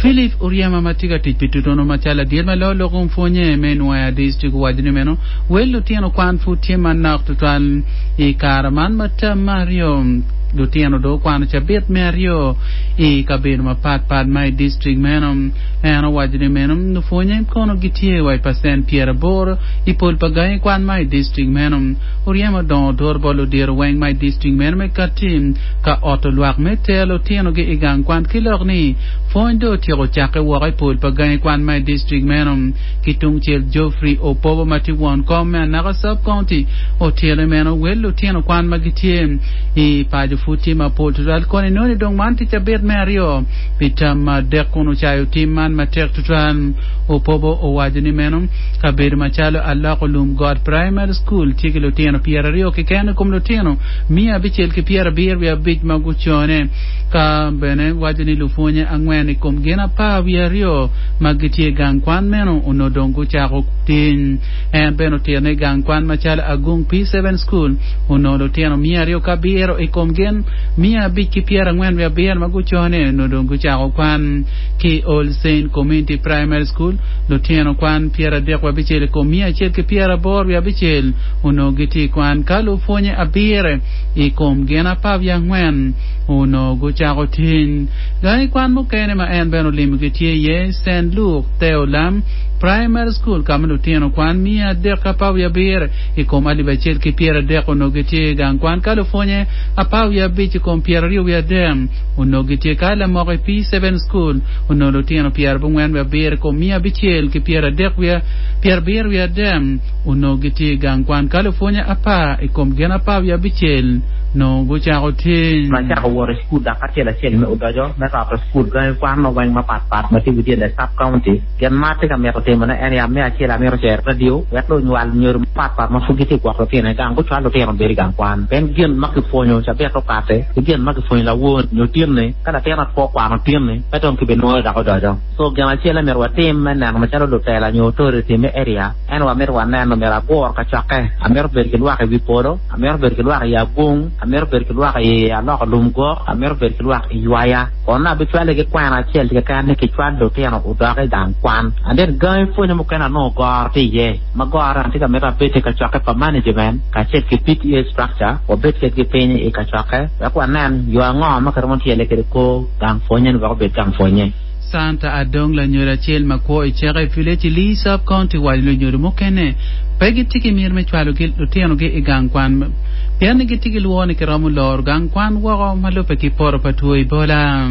Philip Oryema ma tye ka tic pi tutunu macalo ladit ma loyo lok kom pwonye me Nwoya District owaco ni meno wel lutino kwan pud tye manok tutwal i kare man ma term me aryo lutino dong okwano cabit me aryo i kabedo mapat pat ma i district meno. En owaco ni meno lupwonye kono gitye wa i pacent 80 i pol pa gangi kwan ma i district meno. Oryema odongo odur bot ludito weng ma i district meno me kati ka oto lwak me tero lutinogi i gang kwan ki lok ni pwony dong otyeko cakke woko i pol pa gangi kwan ma i distrik meno. Ki tungcel, Geoffrey Opobo ma tye won kom me Anaka Sub-County otito ni meno wel lutino kwan ma gitye i paco pud tye mapol tutwal koni nongo ni dong man tye cabit me aryo pi tam ma adek kun ocayo tim man matek tutwal. Opobo owaco ni meno kabedo macalo Aloko Lum Got Primary School tye ki lutino 20 keken i kom lutino 975 ma gucone. Ka bene waco ni lupwonye angwen i kom gin 12 ma gitye i gang kwan meno onongo dong gucako tic. En bene otito ni gang kwan macalo Agung P7 School onongo lutino 207 i kom gin 547 ma gucone onongo dong gucako kwan. Ki i All Saint Community Primary School, lutino kwan 36 i kom 186 onongo gitye i kwan ka lupwonye abiro i kom gin 14 onongo gucako tic. Gangi kwan mukene ma en bene olimogi tye iye Saint Luke Theolam Primary School ka ma lutino kwan 317 i kom 1030 onongo gitye i gang kwan ka lupwonye 15 i kom 23 onongo gitye ka lamoko i P7 School onongo lutino 97 i kom 573 onongo gitye i gang kwan ka lupwonye apar i kom gin 16 nongo gucako tic. Ma acako wot i cukul dok acel acel me odoco me roto cukul gangi kwan ma weng mapat pat ma tye within the sub county. Gin ma atye ka mito timo ne en ya me acel amito cero radio wek lunywal nyodo mapat pat ma pud gitye gwoko lutino i gang gucwal lutino obed i gang kwan pien gin ma kipwonyo cabit okate ki gin ma kipwonyo lawor nyo tinni ka latin ot pe okwano tinni pe dong kibinwoyo dok odoco. So gin acel myero watim me neno macalo lutela nyo authority me area en wamito waneno myero agur kacokke amito bedo ki lwak i wi polo amito bedo ki lwak i agung amito bedo ki lwak i aloko lum gok amito bedo ki lwak i ywaya kono abicwale ki kwena acel keken ni kicwal lutino odok i gang kwan and then gangi pwonye mukene anongo goro tye iye ma gorone atye ka mito abed i kacokke pa management kacel ki PTA structure wabed kedgi piny i kacokke wek wanen yo ango ma kiromo tyele kwede kor gang pwonye ni wek obed gang pwonye. Santa Adong lanyodo acel ma kwo i Ceke Village i Lee Sub County waco ni lunyodo mukene pe gitye ki miti me cwalo lutinogi i gang kwan pien ni gitye ki lworo ni kiromo loro gang kwan woko ma lubbe ki poto pa two Ebola.